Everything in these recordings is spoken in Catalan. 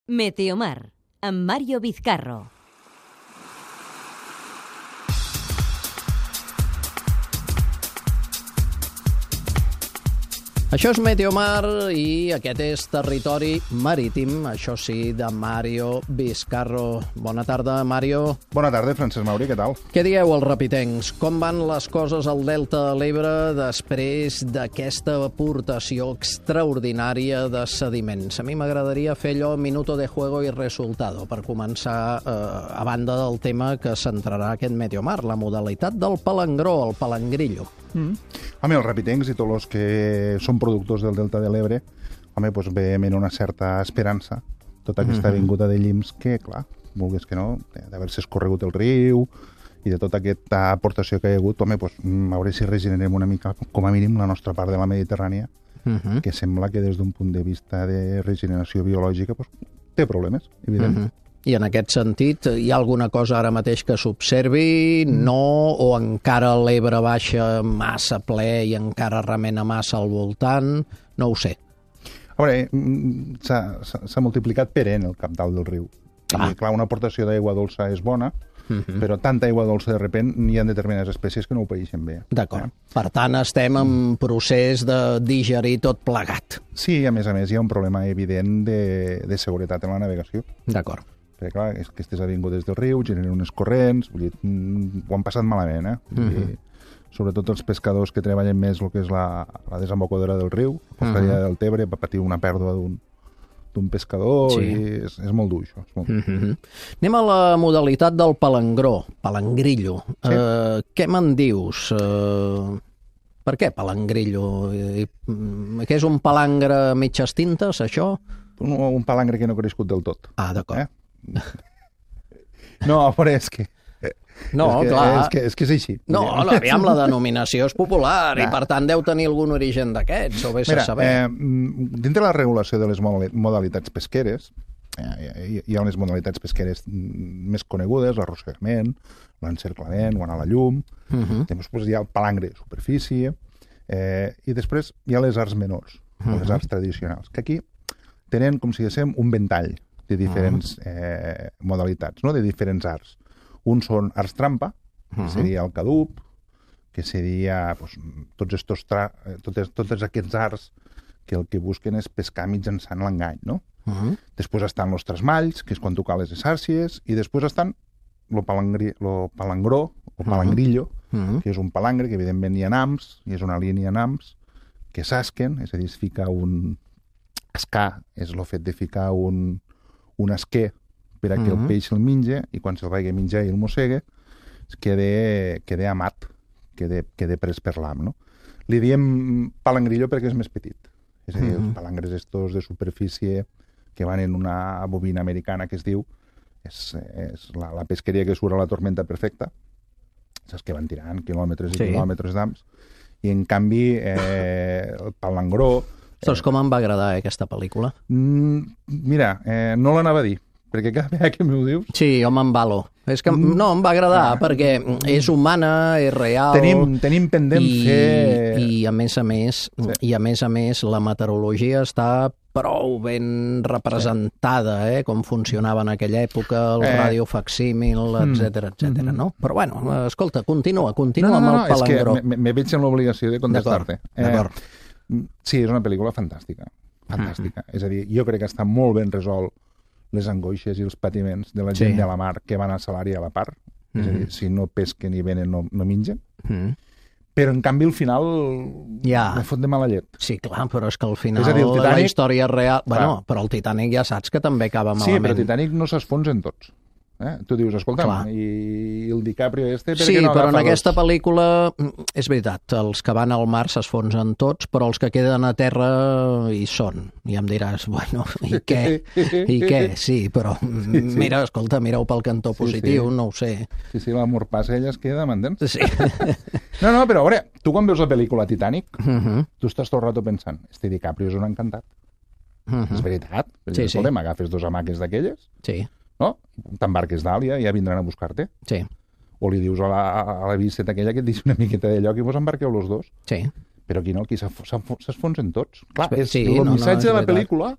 Meteomar, amb Mario Vizcarro. Això és Meteomar i aquest és territori marítim, això sí, de Mario Vizcarro. Bona tarda, Mario. Bona tarda, Francesc Mauri, què tal? Què dieu, els repitencs? Com van les coses al Delta de l'Ebre després d'aquesta aportació extraordinària de sediments? A mi m'agradaria fer allò minuto de juego y resultado, per començar, a banda del tema que centrarà aquest Meteomar, la modalitat del palangró, el palangrillo. Home, els repitencs i tots els que són productors del Delta de l'Ebre, home, doncs veiem en una certa esperança tota aquesta vinguda de llims que, clar, vulguis que no, d'haver-se escorregut el riu i de tota aquesta aportació que hi ha hagut, home, doncs, a veure si regenerem una mica, com a mínim, la nostra part de la Mediterrània, que sembla que des d'un punt de vista de regeneració biològica doncs, té problemes, evidentment. I en aquest sentit, hi ha alguna cosa ara mateix que s'observi? No? O encara l'Ebre baixa massa ple i encara remena massa al voltant? No ho sé. A veure, s'ha multiplicat per N el cabdal del riu. I, clar, una aportació d'aigua dolça és bona, però tanta aigua dolça de repent hi ha determinades espècies que no ho paeixen bé. D'acord. Per tant, estem en procés de digerir tot plegat. Sí, a més, hi ha un problema evident de seguretat en la navegació. D'acord. Perquè, clar, aquestes avingudes del riu generen unes corrents, vull dir, ho han passat malament, eh? Sobretot els pescadors que treballen més el que és la desembocadura del riu, la costaria del Tebre, va patir una pèrdua d'un pescador i és molt dur, això. És molt dur. Anem a la modalitat del palangró, palangrillo. Sí. Què me'n dius? Per què palangrillo? Què és un palangre a mitges tintes, això? Un palangre que no ha crescut del tot. Ah, d'acord. No, però és que... No, clar. És que és així. No, aviam, la denominació és popular i, per tant, deu tenir algun origen d'aquests, o vés a saber. Dintre la regulació de les modalitats pesqueres, hi ha unes modalitats pesqueres més conegudes, l'arrossegament, l'encerclament, o anar a la llum, després hi ha el palangre de superfície, i després hi ha les arts menors, les arts tradicionals, que aquí tenen, com si diguéssim, un ventall de diferents modalitats, no? De diferents arts. Uns són arts trampa, que seria el cadup, que seria tots aquests arts que el que busquen és pescar mitjançant l'engany, no? Després estan els trasmalls, que és quan tu cales les àrcies, i després estan el palangró, o palangrillo, que és un palangre, que evidentment hi ha nams, i és una línia nams, que s'asquen, és a dir, es fica un... Escar és el fet de ficar un esquer per a que el peix el menja i quan se'l vagi a menjar i el mossega queda amat, queda pres per l'am, no? Li diem palangrillo perquè és més petit. És a dir, els palangres estos de superfície que van en una bobina americana que es diu és la pesqueria que surt a la tormenta perfecta, saps que van tirant quilòmetres i quilòmetres d'ams, i en canvi el palangró... Ostres, com em va agradar aquesta pel·lícula? Mira, no l'anava a dir, perquè cada vegada que m'ho dius... Sí, jo m'embalo. És que no, em va agradar, perquè és humana, és real... Tenim pendent fer... I a més a més, la meteorologia està prou ben representada, com funcionava en aquella època, el radiofacsímil, etcètera, no? Però bueno, escolta, continua amb el palangró. És que me veig en l'obligació de contestar-te. D'acord. Sí, és una pel·lícula fantàstica. És a dir, jo crec que està molt ben resolt les angoixes i els patiments de la gent de la mar que van a salari a la part. És a dir, si no pesquen i venen, no mengen. Però, en canvi, al final me fot de mala llet. Sí, clar, però és que al final la història real... Bueno, però el Titanic ja saps que també acaba malament. Sí, però el Titanic no s'esfonsen tots. Tu dius, escolta'm, i el DiCaprio Sí, però en aquesta pel·lícula, és veritat, els que van al mar s'esfonsen tots, però els que queden a terra hi són. I em diràs, bueno, i què? I què? Sí, però mira, escolta, mira-ho pel cantó positiu, no ho sé. Sí, l'amor passa, ella es queda, m'entens? Sí. No, però a veure, tu quan veus la pel·lícula Titanic, tu estàs tot el rato pensant, este DiCaprio és un encantat. És veritat? Escolta'm, agafes dos hamaques d'aquelles? Sí. No? T'embarques d'Àlia i ja vindran a buscar-te. Sí. O li dius a la viceta aquella que et deixi una miqueta de lloc i vos embarqueu los dos. Sí. Però aquí no, aquí s'esfonsen tots. Clar, el missatge de la pel·lícula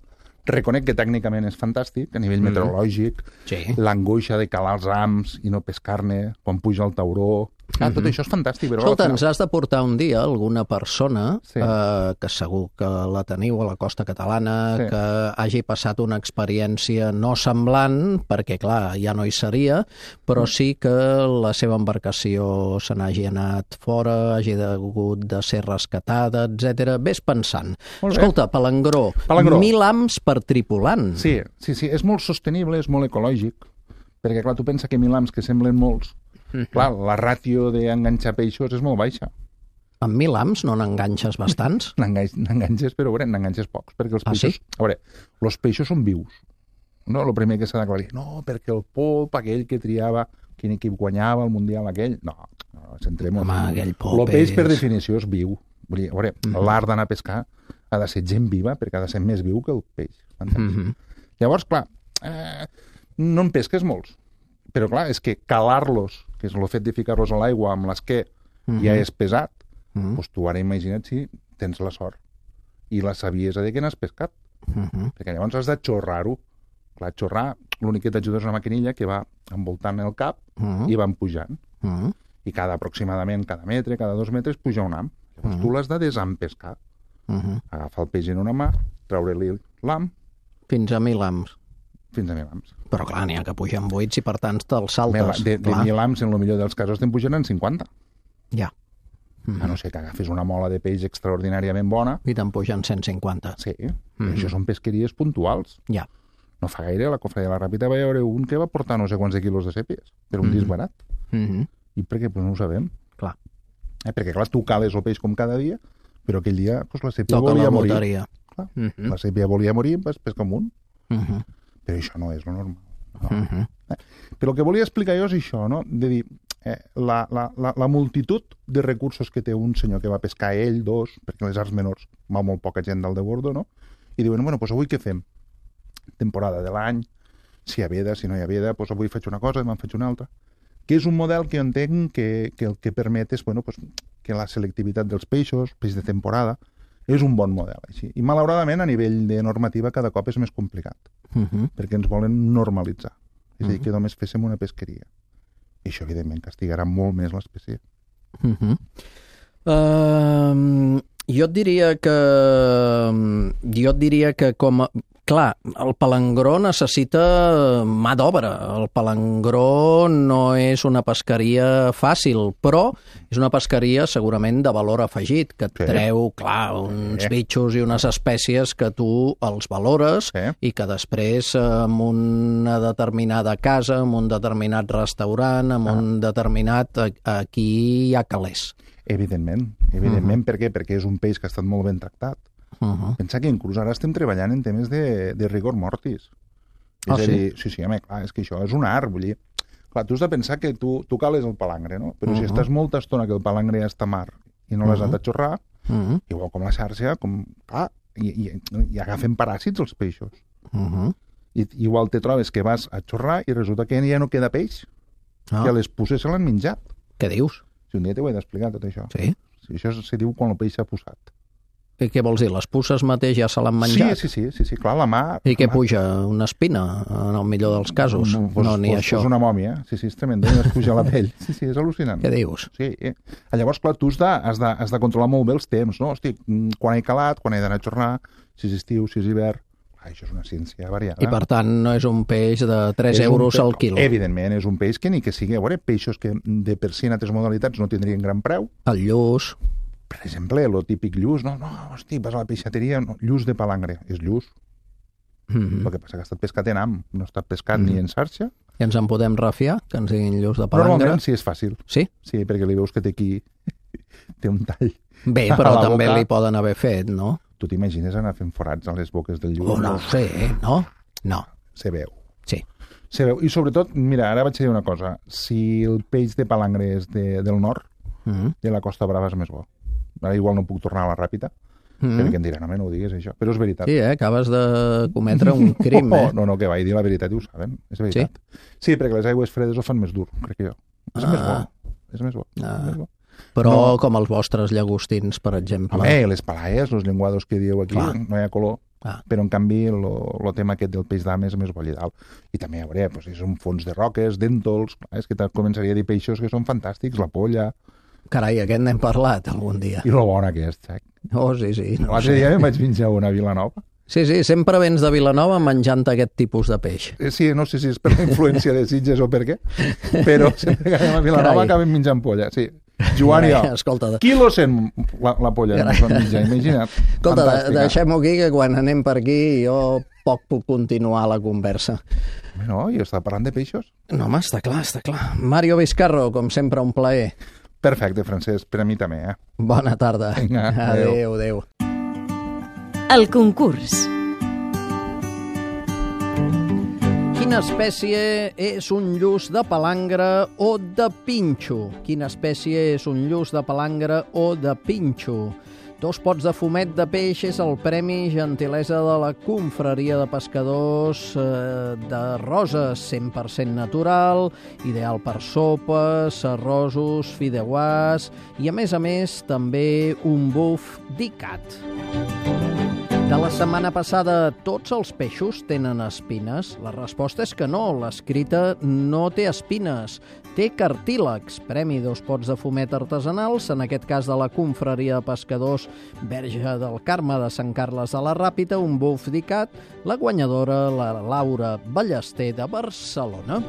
Reconec que tècnicament és fantàstic, a nivell meteorològic, Sí. l'angoixa de calar els rams i no pescar-ne, quan puja el tauró... Tot això és fantàstic, però... Escolta, al ens final- has de portar un dia alguna persona Sí. que segur que la teniu a la costa catalana, Sí. que hagi passat una experiència no semblant, perquè, clar, ja no hi seria, però sí que la seva embarcació se n'hagi anat fora, hagi hagut de ser rescatada, etc. Ves pensant. Molt bé. Escolta, Palangró, Palangró. 1.000 ams per tripulant. Sí, és molt sostenible, és molt ecològic, perquè, clar, tu pensa que 1.000 ams, que semblen molts, clar, la ràtio d'enganxar peixos és molt baixa. Amb 1.000 ams no n'enganxes bastants? N'enganxes, però a veure, n'enganxes pocs, perquè els Ah, peixos... sí? A veure, els peixos són vius. No, el primer que s'ha d'aclarir. No, perquè el polp, aquell que triava, quin equip guanyava el Mundial aquell... No, centrem-nos. Home, aquell polp El peix, per és- definició, és viu. Vull dir, a veure, l'art d'anar a pescar ha de ser gent viva, perquè ha de ser més viu que el peix. M'entens? Llavors, clar, no en pesques molts. Però, clar, és que calar-los, que és el fet de ficar-los a l'aigua amb l'esquer, ja és pesat, doncs tu ara imagina't si tens la sort i la saviesa de que n'has pescat. Perquè llavors has de xorrar-ho. Clar, xorrar, l'únic que t'ajuda és una maquinilla que va envoltant el cap i van pujant. I aproximadament cada metre, cada 2 metres, puja un am. Llavors tu l'has de desempescar. Agafar el peix en una mà, treure-li l'am, Fins a 1.000 ams. fins a 1.000 ams. Però clar, n'hi ha que pugen 8 i per tant te'ls saltes. De clar. 1.000 ams, en el millor dels casos, te'n pugen en 50. Ja, A no ser que agafis una mola de peix extraordinàriament bona. i te'n pugen 150. Sí, això són pesqueries puntuals. Ja. No fa gaire, a la Cofradia de la Ràpita va haver un que va portar no sé quants de quilos de sèpies, per un disc barat. I per què? Pues no ho sabem. Clar. Perquè, clar, tu cales el peix com cada dia, però aquell dia pues, la sèpia Toca volia la morir. loteria. Clar, la sèpia volia morir, vas pescar un munt. Però això no és lo normal. No. Però el que volia explicar jo és això, no? De dir, la multitud de recursos que té un senyor que va pescar ell, dos, perquè les arts menors va molt poca gent dalt de bordo, no? I diuen, bueno, doncs avui què fem? Temporada de l'any, si hi ha veda, si no hi ha veda, doncs avui faig una cosa, demà en faig una altra. Que és un model que jo entenc que el que permet és, bueno, doncs, que la selectivitat dels peixos, peix de temporada, és un bon model, així. I malauradament, a nivell de normativa, cada cop és més complicat, perquè ens volen normalitzar. És a dir, que només féssim una pesqueria. I això, evidentment, castigarà molt més l'espècie. Jo et diria que com a... Clar, el palangró necessita mà d'obra. El palangró no és una pesqueria fàcil, però és una pesqueria segurament de valor afegit, que et treu, clar, uns bitxos i unes espècies que tu els valores i que després en una determinada casa, en un determinat restaurant, en un determinat... Aquí hi ha calés. Evidentment. Per què? Perquè és un peix que ha estat molt ben tractat. Pensa que inclús ara estem treballant en temes de rigor mortis. És a dir, sí, home, clar, és que això és un art, vull dir. Clar, tu has de pensar que tu cales el palangre, no? Però si estàs molta estona que el palangre ja està mar i no l'has anat a xorrar, igual com la xarxa, i agafen paràsits els peixos. I igual te trobes que vas a xorrar i resulta que ja no queda peix, que les puces se l'han menjat. Què dius? Si un dia t'ho he d'explicar, tot això. Sí? Això se diu quan el peix s'ha posat. I què vols dir? Les puces mateix ja se l'han menjat? Sí, clar, la mà... I què puja? Una espina, en el millor dels casos? No, ni això. És una mòmia, sí, és tremendo, es puja la pell. Sí, és al·lucinant. Què dius? Sí. Llavors, clar, tu has de controlar molt bé els temps, no? Hosti, quan he calat, quan he d'anar a xorrar, si és estiu, si és hivern... Això és una ciència variada. I, per tant, no és un peix de 3 euros al quilo. Evidentment, és un peix que ni que sigui... A veure, peixos que de per si en altres modalitats no tindrien gran preu. El lluç... Per exemple, el típic lluç, no, hosti, vas a la peixateria, no, lluç de palangre, és lluç. El que passa que ha estat pescat en am, no ha estat pescat ni en xarxa. I ens en podem refiar, que ens diguin lluç de palangre? Normalment sí, és fàcil. Sí? Sí, perquè li veus que té aquí... té un tall. Bé, però també li poden haver fet, no? Tu t'imagines anar fent forats a les boques del lluç? No ho sé, no? No. Se veu. Sí. Se veu. I sobretot, mira, ara vaig dir una cosa. Si el peix de palangre és del nord, de la Costa Brava és més bo. Ara igual no puc tornar a la Ràpita, perquè em diran, home, no ho diguis, això. Però és veritat. Sí, acabes de cometre un crim, No, que vaig dir la veritat i ho saben. És veritat. Sí, perquè les aigües fredes ho fan més dur, crec que jo. És més bo. És més bo. Però com els vostres llagostins, per exemple. Home, les palaies, els llenguados que dieu aquí, no hi ha color. Però, en canvi, el tema aquest del peix d'am és més bolledal. I també, a veure, doncs, són fons de roques, dèntols... És que començaria a dir peixos que són fantàstics, la polla... Carai, aquest n'hem parlat algun dia. I lo bon aquest, sac? Oh, sí. No l'altre dia em vaig menjar una a Vilanova. Sí, sempre vens de Vilanova menjant aquest tipus de peix. Sí, no sé si és per la influència de Sitges o per què, però sempre que anem a Vilanova acabem menjant polla, sí. Joan i jo. Escolta, quilo 100 la polla que ens vam menjar, imagina't. Escolta, deixem-ho aquí, que quan anem per aquí jo poc puc continuar la conversa. No, jo estava parlant de peixos. No, home, està clar. Mario Vizcarro, com sempre, un plaer. Perfecte, Francesc, per a mi també, Bona tarda. Vinga, adéu. El concurs. Quina espècie és un lluç de palangre o de pinxo? Quina espècie és un lluç de palangre o de pinxo? 2 pots de fumet de peix és el premi gentilesa de la confraria de pescadors de Roses, 100% natural, ideal per sopes, arrosos, fideuàs i, a més, també un buf d'ICAT. De la setmana passada, tots els peixos tenen espines? La resposta és que no, l'escrita no té espines, té cartílegs. Premi 2 pots de fumet artesanals, en aquest cas de la confraria de pescadors Verge del Carme de Sant Carles de la Ràpita, un buf d'ICAT, la guanyadora, la Laura Ballester de Barcelona.